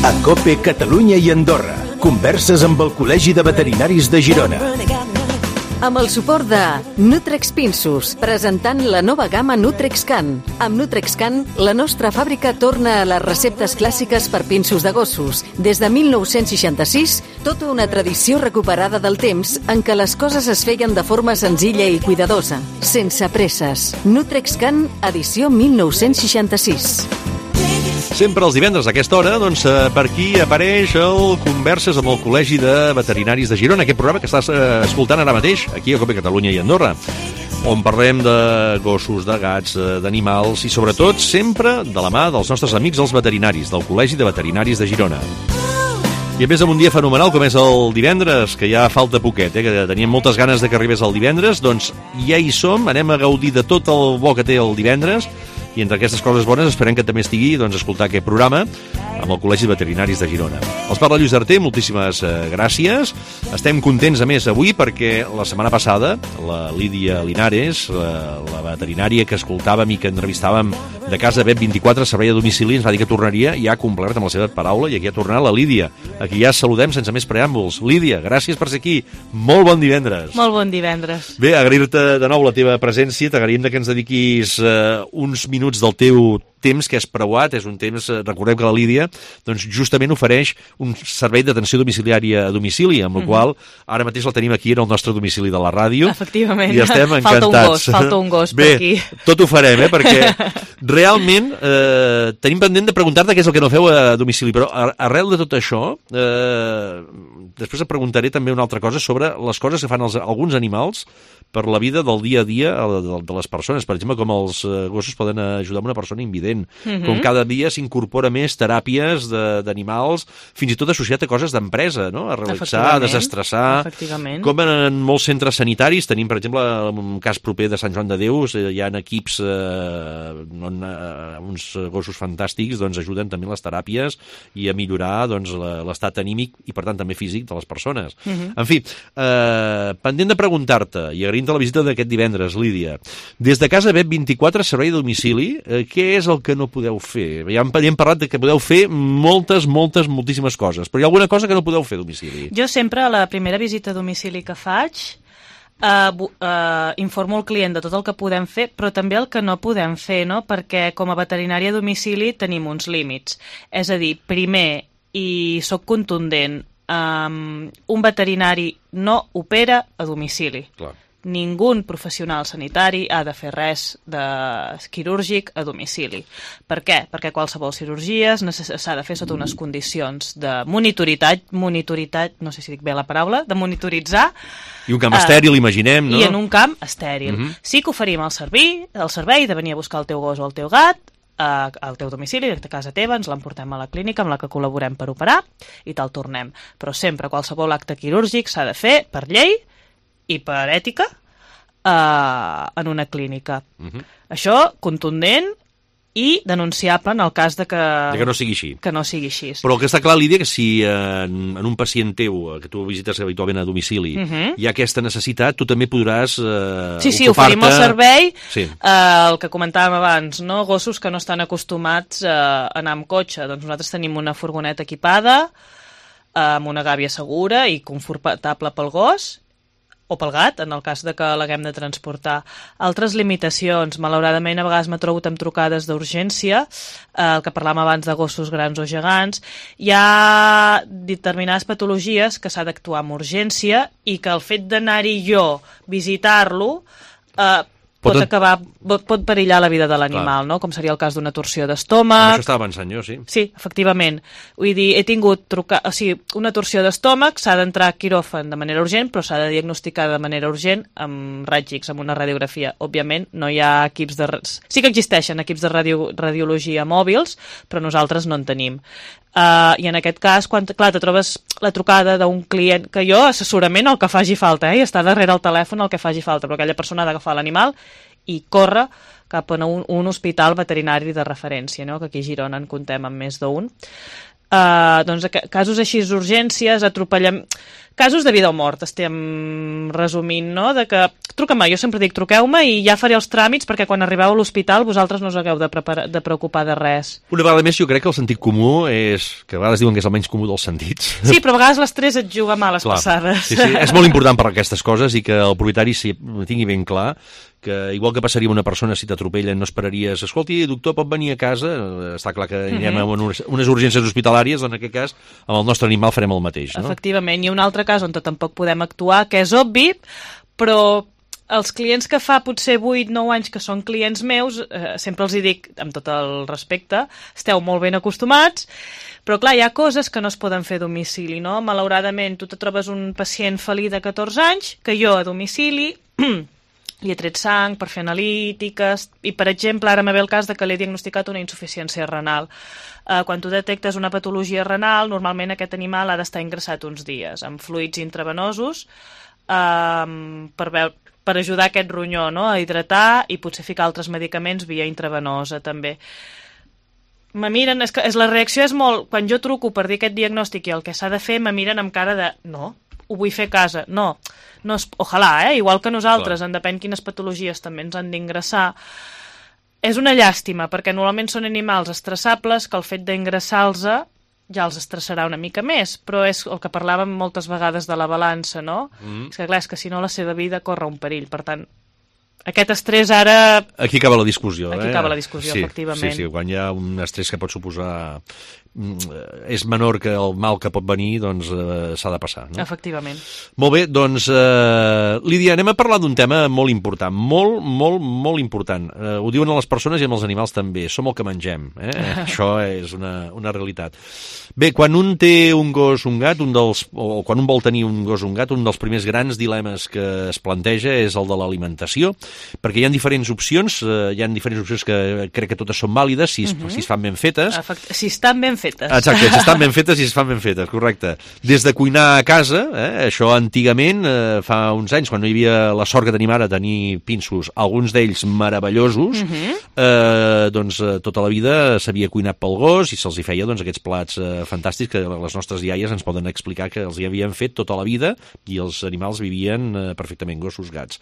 A COPE Catalunya i Andorra. Converses amb el Col·legi de Veterinaris de Girona. Amb el suport de Nutrex Pinsus, presentant la nova gamma NutrexCan. Amb NutrexCan, la nostra fàbrica torna a les receptes clàssiques per pinsos de gossos. Des de 1966, tota una tradició recuperada del temps en què les coses es feien de forma senzilla i cuidadosa, sense presses. NutrexCan, edició 1966. Sempre els divendres a aquesta hora, doncs, per aquí apareix el Converses amb el Col·legi de Veterinaris de Girona, aquest programa que estàs escoltant ara mateix, aquí a COPE Catalunya i Andorra, on parlem de gossos, de gats, d'animals i sobretot sempre de la mà dels nostres amics els veterinaris, del Col·legi de Veterinaris de Girona. I a més amb un dia fenomenal com és el divendres, que ja falta poquet, que teníem moltes ganes de que arribés el divendres, doncs ja hi som, anem a gaudir de tot el bo que té el divendres. I entre aquestes coses bones esperem que també estigui escoltar aquest programa amb el Col·legi de Veterinaris de Girona. Els parla Lluís Arter, moltíssimes gràcies. Estem contents, a més, avui perquè la setmana passada la Lídia Linares, la veterinària que escoltàvem i que entrevistàvem de Casa Vet 24, servei a domicili, ens va dir que tornaria i ha complert amb la seva paraula i aquí ha tornat la Lídia. Aquí ja saludem sense més preàmbuls. Lídia, gràcies per ser aquí. Molt bon divendres. Molt bon divendres. Bé, agrair-te de nou la teva presència, t'agraïm que ens dediquis uns minuts del teu temps que és preuat, és un temps, recordem que la Lídia doncs justament ofereix un servei d'atenció domiciliària a domicili, amb el qual ara mateix la tenim aquí en el nostre domicili de la ràdio. Efectivament. I estem encantats. Falta un gos Bé, per aquí. Tot ho farem, perquè realment tenim pendent de preguntar-te què és el que no feu a domicili, però arrel de tot això després et preguntaré també una altra cosa sobre les coses que fan alguns animals per la vida del dia a dia de les persones. Per exemple, com els gossos poden ajudar una persona invident, com cada dia s'incorpora més teràpies d'animals, fins i tot associat a coses d'empresa, no? A relaxar, a desestressar. Efectivament. Com en molts centres sanitaris, tenim, per exemple, un cas proper de Sant Joan de Déu, hi ha equips on uns gossos fantàstics ajuden també les teràpies i a millorar l'estat anímic i, per tant, també físic de les persones. En fi, pendent de preguntar-te, i agraint la visita d'aquest divendres, Lídia, des de Casa Vet 24, servei a domicili, què és el que no podeu fer? Ja hem parlat de que podeu fer moltíssimes coses, però hi ha alguna cosa que no podeu fer a domicili? Jo sempre, a la primera visita a domicili que faig, informo el client de tot el que podem fer, però també el que no podem fer, no? Perquè com a veterinària a domicili tenim uns límits. És a dir, primer, i sóc contundent, un veterinari no opera a domicili. Clar. Ningú professional sanitari ha de fer res de quirúrgic a domicili. Per què? Perquè qualsevol cirurgia s'ha de fer sota unes condicions de monitoritat, no sé si dic bé la paraula, de monitoritzar. I un camp estèril, imaginem, no? I en un camp estèril. Sí que oferim el servei de venir a buscar el teu gos o el teu gat al teu domicili, a casa teva, ens l'emportem a la clínica amb la que col·laborem per operar i te'l tornem. Però sempre qualsevol acte quirúrgic s'ha de fer per llei i per ètica en una clínica. Això contundent i denunciable en el cas de que no sigui així. Que no sigui així. Però el que està clar, Lídia, que si en un pacient teu, que tu visites habitualment a domicili, hi ha aquesta necessitat, tu també podràs Sí, oferim el servei, el que comentàvem abans, no? Gossos que no estan acostumats a anar amb cotxe. Doncs nosaltres tenim una furgoneta equipada, amb una gàbia segura i confortable pel gos, o pel gat, en el cas de que l'haguem de transportar. Altres limitacions, malauradament, a vegades m'he trobat amb trucades d'urgència, el que parlàvem abans de gossos grans o gegants. Hi ha determinades patologies que s'ha d'actuar amb urgència i que el fet d'anar-hi jo, visitar-lo, pot perillar la vida de l'animal, no? Com seria el cas d'una torsió d'estómac. Això estava pensant jo, sí. Sí, efectivament. Vull dir, he tingut una torsió d'estómac, s'ha d'entrar a quiròfan de manera urgent, però s'ha de diagnosticar de manera urgent amb raig X, amb una radiografia. Òbviament, no hi ha equips de... Sí que existeixen equips de radiologia mòbils, però nosaltres no en tenim. I en aquest cas, quan te trobes la trucada d'un client, que jo assessorament el que faci falta, i està darrere el telèfon el que faci falta, però aquella persona ha d'agafar l'animal i córrer cap a un hospital veterinari de referència, no? Que aquí a Girona en comptem amb més d'un. Doncs casos així d'urgències, casos de vida o mort, estem resumint, no? De que truca'm, jo sempre dic truqueu-me i ja faré els tràmits perquè quan arribeu a l'hospital vosaltres no us hagueu de preocupar de res. Una vegada més, jo crec que el sentit comú és, que a vegades diuen que és el menys comú dels sentits. Sí, però a vegades l'estrès et juga males passades. Sí, és molt important per aquestes coses i que el propietari tingui ben clar que igual que passaria una persona si t'atropellen no esperaries, escolti, doctor, pot venir a casa, està clar que anirem a unes urgències hospitalàries, doncs en aquest cas amb el nostre animal farem el mateix, no? Efectivament, i un altre cas on tampoc podem actuar, que és obvi, però els clients que fa potser 8-9 anys que són clients meus, sempre els hi dic, amb tot el respecte, esteu molt ben acostumats, però clar, hi ha coses que no es poden fer a domicili, no? Malauradament, tu te trobes un pacient felí de 14 anys, que jo a domicili li he tret sang per fer analítiques i, per exemple, ara me ve el cas de que li he diagnosticat una insuficiència renal. Quan tu detectes una patologia renal, normalment aquest animal ha d'estar ingressat uns dies amb fluids intravenosos per ajudar aquest ronyó, no? A hidratar i potser ficar altres medicaments via intravenosa també. Me miren, la reacció és molt... Quan jo truco per dir aquest diagnòstic i el que s'ha de fer, me miren amb cara de no, ho vull fer a casa. No ojalà, igual que nosaltres, en depèn quines patologies també ens han d'ingressar. És una llàstima, perquè normalment són animals estressables que el fet d'ingressar-los ja els estressarà una mica més, però és el que parlàvem moltes vegades de la balança, no? És que clar, és que si no la seva vida corre un perill, per tant, aquest estrès ara... Aquí acaba la discussió, Aquí acaba la discussió, efectivament. Sí, quan hi ha un estrès que pot suposar... és menor que el mal que pot venir, doncs s'ha de passar, no? Efectivament. Molt bé, doncs, Lídia, anem a parlar d'un tema molt important, molt important. Ho diuen a les persones i amb els animals també, som el que mengem, Això és una realitat. Bé, quan un té un gos, un gat, o quan un vol tenir un gos, un gat, un dels primers grans dilemes que es planteja és el de l'alimentació, perquè hi ha diferents opcions, que crec que totes són vàlides si es fan ben fetes. Si estan ben fetes. Exacte, si estan ben fetes i si es fan ben fetes, correcte. Des de cuinar a casa, això antigament, fa uns anys, quan no hi havia la sort que tenim ara, tenir pinsos, alguns d'ells meravellosos, doncs tota la vida s'havia cuinat pel gos i se'ls hi feia doncs, aquests plats fantàstics que les nostres iaies ens poden explicar que els hi havien fet tota la vida i els animals vivien perfectament, gossos, gats.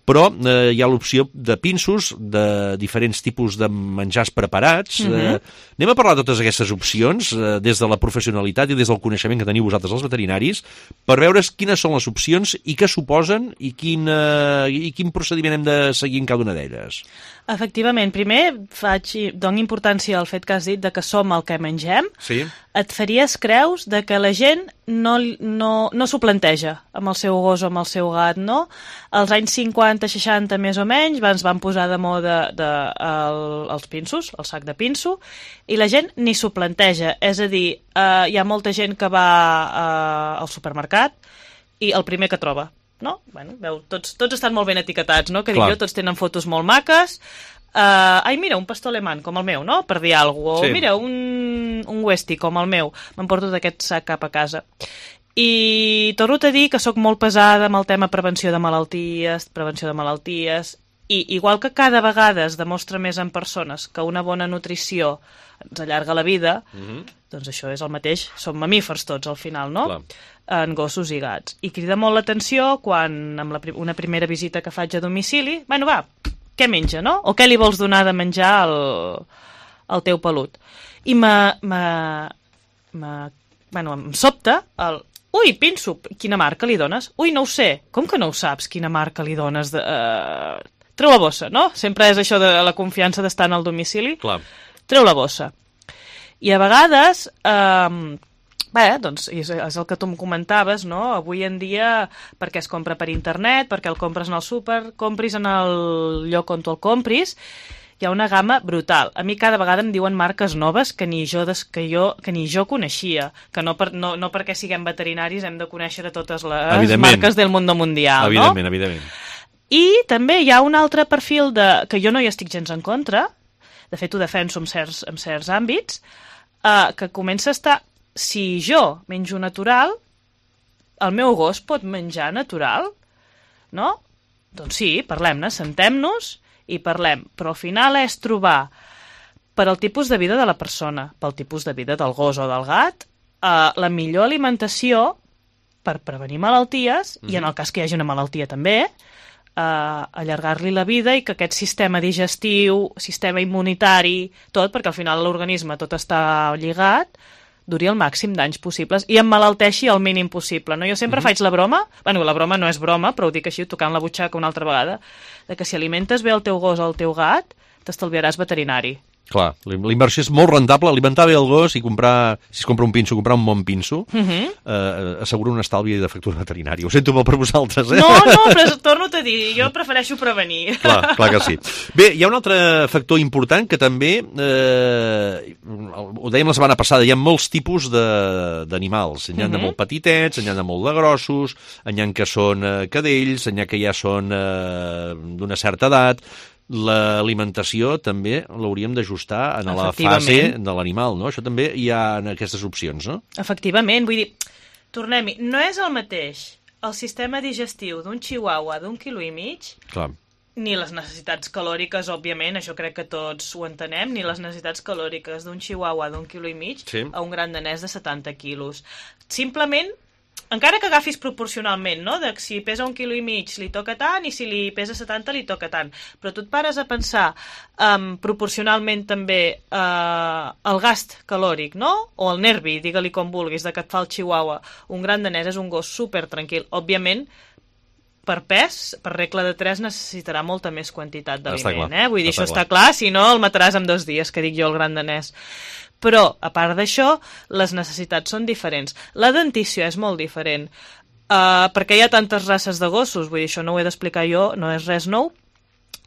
Però hi ha l'opció de pinsos, de diferents tipus de menjars preparats. Anem a parlar de totes aquestes opcions des de la professionalitat i des del coneixement que teniu vosaltres els veterinaris per veure quines són les opcions i què suposen i quin procediment hem de seguir en cada una d'elles. Efectivament, primer dono importància al fet que has dit de que som el que mengem. Sí. Et faries creus de que la gent no s'ho planteja amb el seu gos o amb el seu gat, no? Als anys 50-60 més o menys es van posar de moda els pinsos, el sac de pinso, i la gent ni s'ho planteja. És a dir, hi ha molta gent que va al supermercat i el primer que troba, no? Bueno, tots estan molt ben etiquetats, no? Que dic jo, tots tenen fotos molt maques. Mira, un pastor alemany, com el meu, no? Per dir alguna cosa. O mira, un Westie, com el meu. M'emporto d'aquest sac cap a casa. I torno a dir que sóc molt pesada amb el tema prevenció de malalties, i igual que cada vegada es demostra més en persones que una bona nutrició ens allarga la vida, doncs això és el mateix, som mamífers tots al final, no? Clar. En gossos i gats. I crida molt l'atenció quan, amb una primera visita que faig a domicili, bueno, va, què menja, no? O què li vols donar de menjar al teu pelut? I em sobta el... Ui, pinso, quina marca li dones? Ui, no ho sé. Com que no ho saps, quina marca li dones? Treu la bossa, no? Sempre és això de la confiança d'estar en el domicili. Clar. Treu la bossa. I a vegades... doncs és el que tu em comentaves, no? Avui en dia, perquè es compra per internet, perquè el compres en el súper, compris en el lloc on tu el compris, hi ha una gamma brutal. A mi cada vegada em diuen marques noves que ni jo coneixia, que no perquè siguem veterinaris hem de conèixer totes les marques del mundo mundial, no? Evidentment. I també hi ha un altre perfil que jo no hi estic gens en contra, de fet ho defenso en certs àmbits, que comença a estar... Si jo menjo natural, el meu gos pot menjar natural, no? Doncs sí, parlem-ne, sentem-nos i parlem. Però al final és trobar, per al tipus de vida de la persona, pel tipus de vida del gos o del gat, la millor alimentació per prevenir malalties, i en el cas que hi hagi una malaltia també, allargar-li la vida i que aquest sistema digestiu, sistema immunitari, tot, perquè al final l'organisme tot està lligat, duri el màxim d'anys possibles i emmalalteixi el mínim possible. No? Jo sempre faig la broma, bueno, la broma no és broma, però ho dic així, tocant la butxaca una altra vegada, de que si alimentes bé el teu gos o el teu gat, t'estalviaràs veterinari. Clar, l'inversió és molt rentable, alimentar bé el gos i comprar, si es compra un pinso, comprar un bon pinso, assegura un estalvi de factura veterinària. Ho sento molt per vosaltres, eh? No, però torno-te a dir, jo prefereixo prevenir. Clar que sí. Bé, hi ha un altre factor important que també, ho dèiem la setmana passada, hi ha molts tipus d'animals. N'hi ha de molt petitets, n'hi ha de molt de grossos, n'hi ha que són cadells, n'hi ha que ja són d'una certa edat. L'alimentació també l'hauríem d'ajustar en la fase de l'animal, no? Això també hi ha aquestes opcions, no? Efectivament, vull dir, tornem-hi, no és el mateix el sistema digestiu d'un chihuahua d'un 1,5 kg, clar, ni les necessitats calòriques, òbviament, això crec que tots ho entenem, ni les necessitats calòriques d'un chihuahua d'un 1,5 kg a un gran danès de 70 quilos. Simplement, encara que agafis proporcionalment, no? De si pesa 1,5 kg li toca tant i si li pesa 70 li toca tant. Però tu et pares a pensar proporcionalment també el gast calòric, no? O el nervi, digue-li com vulguis, de que et fa el chihuahua. Un gran danès és un gos super tranquil. Òbviament, per pes, per regla de 3, necessitarà molta més quantitat d'aliment. Vull dir, això està clar, si no el mataràs en 2 dies, que dic jo, el gran danès. Però, a part d'això, les necessitats són diferents. La dentició és molt diferent, perquè hi ha tantes races de gossos, vull dir, això no ho he d'explicar jo, no és res nou,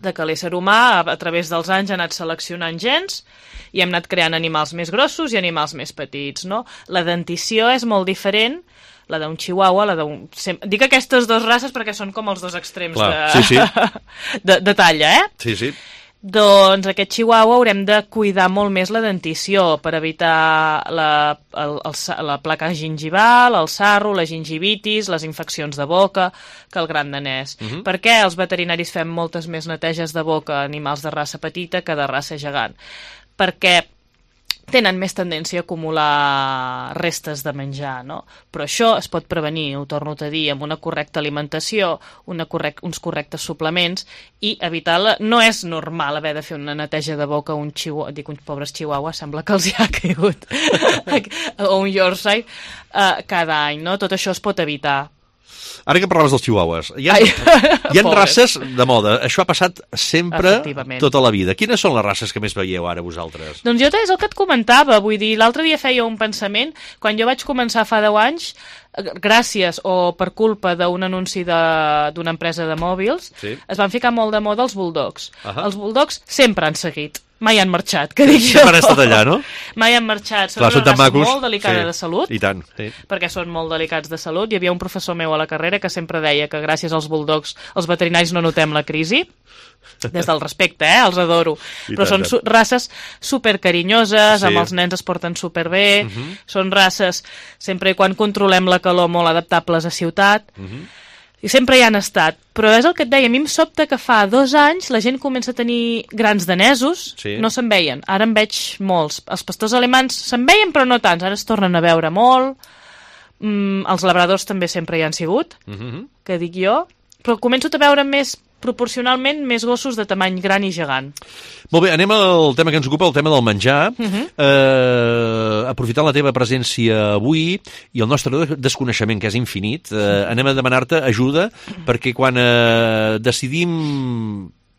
de que l'ésser humà, a través dels anys, ha anat seleccionant gens i hem anat creant animals més grossos i animals més petits, no? La dentició és molt diferent, la d'un chihuahua, Dic aquestes dues races perquè són com els dos extrems de talla, eh? Sí. Doncs aquest chihuahua haurem de cuidar molt més la dentició per evitar la placa gingival, el sarro, la gingivitis, les infeccions de boca, que el gran danès. Per què els veterinaris fem moltes més neteges de boca a animals de raça petita que de raça gegant? Perquè tenen més tendència a acumular restes de menjar, no? Però això es pot prevenir, ho torno a dir, amb una correcta alimentació, uns correctes suplements i evitar no és normal haver de fer una neteja de boca a un chihuahua, dic uns pobres chihuahuas, sembla que els hi ha caigut, o un Yorkshire, cada any, no? Tot això es pot evitar. Ara que parlaves dels chihuahuas, hi ha races de moda. Això ha passat sempre tota la vida. Quines són les races que més veieu ara vosaltres? Doncs jo és el que et comentava. Vull dir, l'altre dia feia un pensament. Quan jo vaig començar fa 10 anys, gràcies o per culpa d'un anunci d'una empresa de mòbils, es van ficar molt de moda els bulldogs. Els bulldogs sempre han seguit. Mai han marxat, que dic jo. Sempre han estat allà, no? Mai han marxat. Són una raça molt delicada de salut. I tant. Perquè són molt delicats de salut. Hi havia un professor meu a la carrera que sempre deia que gràcies als bulldogs els veterinaris no notem la crisi. Des del respecte, els adoro. Però són races supercarinyoses, amb els nens es porten superbé, són races, sempre i quan controlem la calor, molt adaptables a ciutat. I sempre hi han estat. Però és el que et deia, a mi em sobta que fa 2 anys la gent comença a tenir grans danesos, no se'n veien. Ara en veig molts. Els pastors alemans se'n veien, però no tants. Ara es tornen a veure molt. Els labradors també sempre hi han sigut, que dic jo. Però començo a veure proporcionalment més gossos de tamany gran i gegant. Molt bé, anem al tema que ens ocupa, el tema del menjar. Aprofitant la teva presència avui i el nostre desconeixement, que és infinit, anem a demanar-te ajuda perquè quan decidim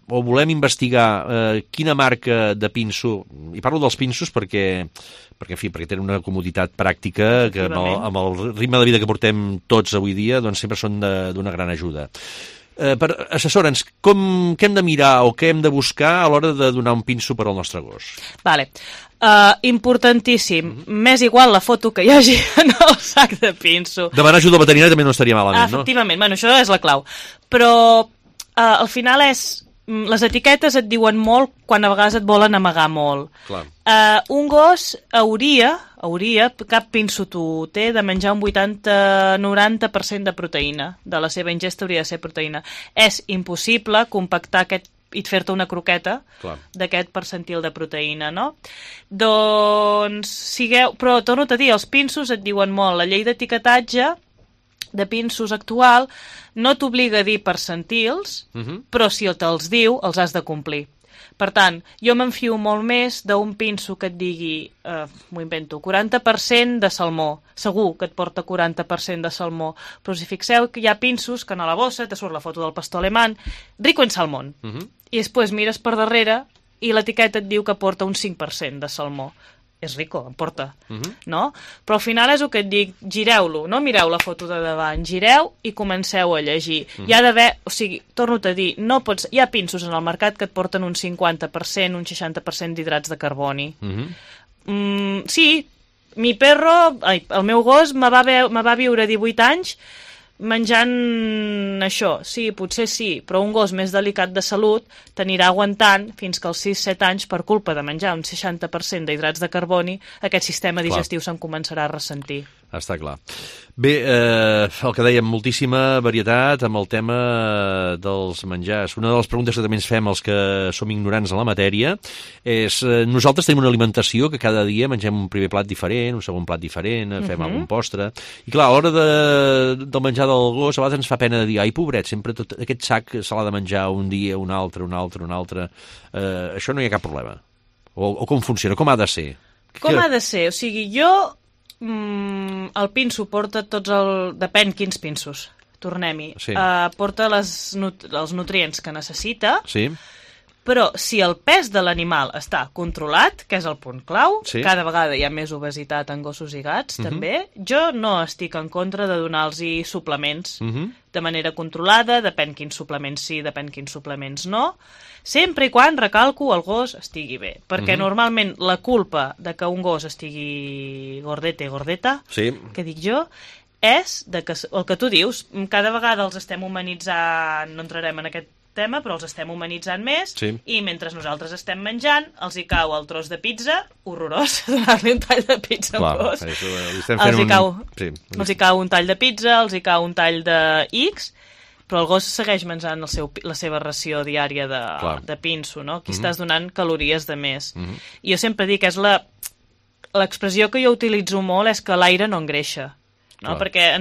o volem investigar quina marca de pinso, i parlo dels pinsos perquè tenen una comoditat pràctica que amb el ritme de vida que portem tots avui dia doncs sempre són d'una gran ajuda. Assessora'ns, què hem de mirar o què hem de buscar a l'hora de donar un pinso per al nostre gos? Vale. Importantíssim. M'és igual la foto que hi hagi en el sac de pinso. Demanar ajuda al veterinari també no estaria malament, no? Efectivament, bueno, això és la clau. Però al final les etiquetes et diuen molt quan a vegades et volen amagar molt. Clar. Un gos hauria, cap pinso t'ho té, de menjar un 80-90% de proteïna. De la seva ingesta hauria de ser proteïna. És impossible compactar aquest i fer-te una croqueta d'aquest percentil de proteïna, no? Doncs però torno a dir, els pinsos et diuen molt. La llei d'etiquetatge de pinsos actual no t'obliga a dir percentils, però si te'ls diu, els has de complir. Per tant, jo m'enfio molt més d'un pinso que et digui, m'ho invento, 40% de salmó. Segur que et porta 40% de salmó. Però si fixeu que hi ha pinsos que a la bossa te surt la foto del pastor alemany, rico en salmón. I després mires per darrere i l'etiqueta et diu que porta un 5% de salmó. És rico, em porta, no? Però al final és el que et dic, gireu-lo, no mireu la foto de davant, gireu i comenceu a llegir. Hi ha d'haver, o sigui, torno-te a dir, no pots, hi ha pinsos en el mercat que et porten un 50%, un 60% d'hidrats de carboni. Sí, el meu gos me va viure 18 anys menjant això, sí, potser sí, però un gos més delicat de salut t'anirà aguantant fins que als 6-7 anys, per culpa de menjar un 60% d'hidrats de carboni, aquest sistema digestiu se'n començarà a ressentir. Està clar. Bé, el que dèiem, moltíssima varietat amb el tema dels menjars. Una de les preguntes que també ens fem els que som ignorants en la matèria és, nosaltres tenim una alimentació que cada dia mengem un primer plat diferent, un segon plat diferent, fem algun postre, i clar, a l'hora del menjar del gos a vegades ens fa pena de dir, ai, pobret, sempre tot aquest sac se l'ha de menjar un dia, un altre. Això no hi ha cap problema. O com funciona? Com ha de ser? Com ha de ser? O sigui, jo el pinso porta depèn quins pinsos, tornem-hi. Porta els nutrients que necessita, però si el pes de l'animal està controlat, que és el punt clau, cada vegada hi ha més obesitat en gossos i gats, també, jo no estic en contra de donar-los suplements de manera controlada, depèn quins suplements sí, depèn quins suplements no, sempre i quan, recalco, el gos estigui bé. Perquè normalment la culpa de que un gos estigui gordeta, que dic jo, és que el que tu dius, cada vegada els estem humanitzant, no entrarem en aquest tema, però els estem humanitzant més, i mentre nosaltres estem menjant, els hi cau el tros de pizza, horrorós, donar-li un tall de pizza a un gos. Els hi cau un tall de pizza, els hi cau un tall de X, però el gos segueix menjant la seva ració diària de pinso, no? Aquí estàs donant calories de més. I jo sempre dic que és l'expressió que jo utilitzo molt és que l'aire no engreixa, no? Perquè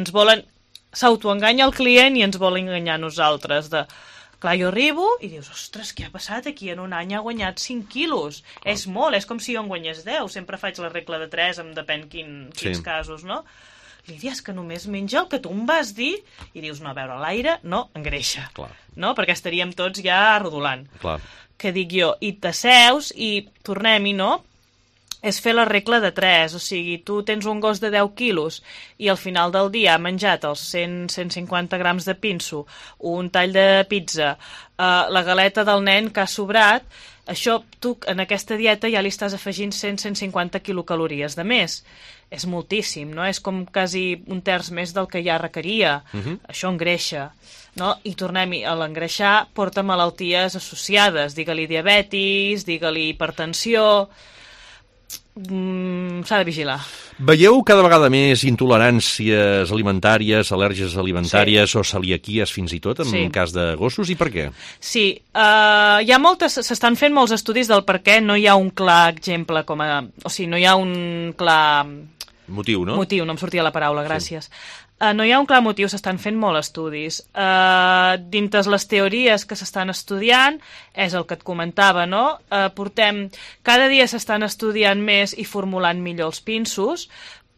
s'autoenganya el client i ens vol enganyar nosaltres Clar, jo arribo i dius, ostres, què ha passat aquí? En un any ha guanyat 5 quilos. És molt, és com si jo en guanyés 10. Sempre faig la regla de 3, depèn quins casos, no? Lídia, és que només menja el que tu em vas dir. I dius, no, a veure, l'aire no engreixa. No? Perquè estaríem tots ja rodolant. Que dic jo, i t'asseus i tornem-hi, no? És fer la regla de 3, o sigui, tu tens un gos de 10 quilos i al final del dia ha menjat els 100-150 grams de pinso, un tall de pizza, la galeta del nen que ha sobrat, això tu en aquesta dieta ja li estàs afegint 100-150 quilocalories de més. És moltíssim, no? És com quasi un terç més del que ja requeria. Això engreixa. No? I tornem-hi, a l'engreixar porta malalties associades, digue-li diabetis, digue-li hipertensió. S'ha de vigilar. Veieu cada vegada més intoleràncies alimentàries, al·lèrgies alimentàries o celiaquies fins i tot en cas de gossos, i per què? Sí, s'estan fent molts estudis del per què no hi ha un clar exemple, o sigui, no hi ha un clar... Motiu, no? Motiu, no em sortia la paraula, gràcies. No hi ha un clar motiu, s'estan fent molts estudis. Dintre les teories que s'estan estudiant, és el que et comentava, no? Cada dia s'estan estudiant més i formulant millor els pinsos,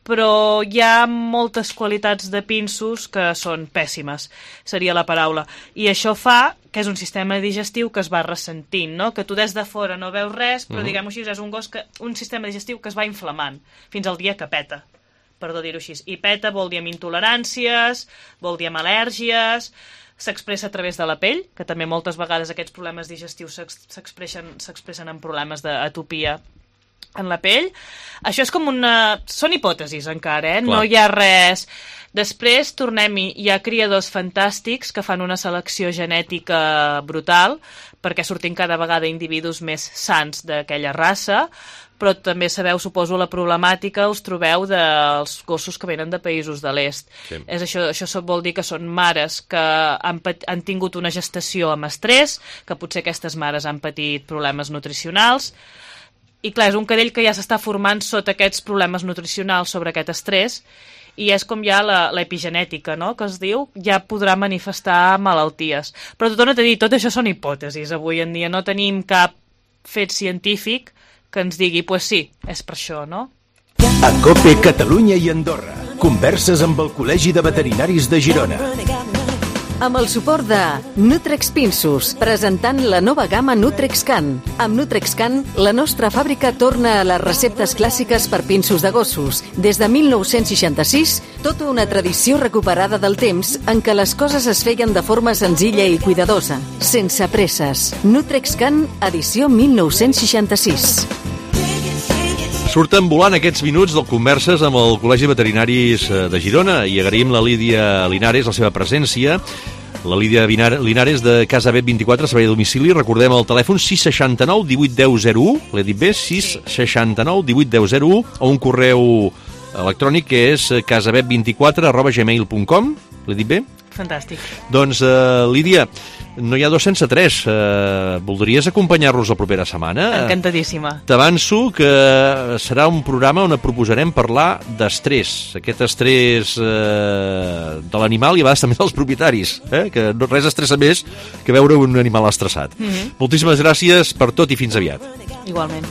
però hi ha moltes qualitats de pinsos que són pèssimes, seria la paraula. I això fa que és un sistema digestiu que es va ressentint, no? Que tu des de fora no veus res, però diguem-ho així, és un sistema digestiu que es va inflamant fins al dia que peta. Perdó dir-ho així. I peta vol dir amb intoleràncies, vol dir amb al·lèrgies, s'expressa a través de la pell, que també moltes vegades aquests problemes digestius s'expressen en problemes d'atopia en la pell. Això és com són hipòtesis encara, no hi ha res... Després, tornem-hi, hi ha criadors fantàstics que fan una selecció genètica brutal perquè sortim cada vegada individus més sants d'aquella raça, però també sabeu, suposo, la problemàtica us trobeu dels gossos que venen de països de l'est. És això vol dir que són mares que han tingut una gestació amb estrès, que potser aquestes mares han patit problemes nutricionals, i clar, és un cadell que ja s'està formant sota aquests problemes nutricionals sobre aquest estrès, i és com ja l'epigenètica, no?, que es diu, ja podrà manifestar malalties. Però t'ho torno a dir, tot això són hipòtesis. Avui en dia no tenim cap fet científic que ens digui, pues sí, és per això, no? A COPE Catalunya i Andorra. Converses amb el Col·legi de Veterinaris de Girona. Amb el suport de Nutrex Pinsus, presentant la nova gamma NutrexCan. Amb NutrexCan, la nostra fàbrica torna a les receptes clàssiques per pinsos de gossos. Des de 1966, tota una tradició recuperada del temps en què les coses es feien de forma senzilla i cuidadosa, sense presses. NutrexCan, edició 1966. Surten volant aquests minuts del Converses amb el Col·legi de Veterinaris de Girona i agraïm la Lídia Linares la seva presència. La Lídia Linares de Casa Bet 24, servei de domicili. Recordem el telèfon 669 18 10 01, l'he dit bé, 669 18 10 01, o un correu electrònic que és casabet24@gmail.com. L'he dit bé? Fantàstic. Doncs, Lídia, no hi ha dos sense tres. Voldries acompanyar-nos la propera setmana? Encantadíssima. T'avanço que serà un programa on proposarem parlar d'estrès. Aquest estrès de l'animal i a vegades també dels propietaris, que res estressa més que veure un animal estressat. Moltíssimes gràcies per tot i fins aviat. Igualment.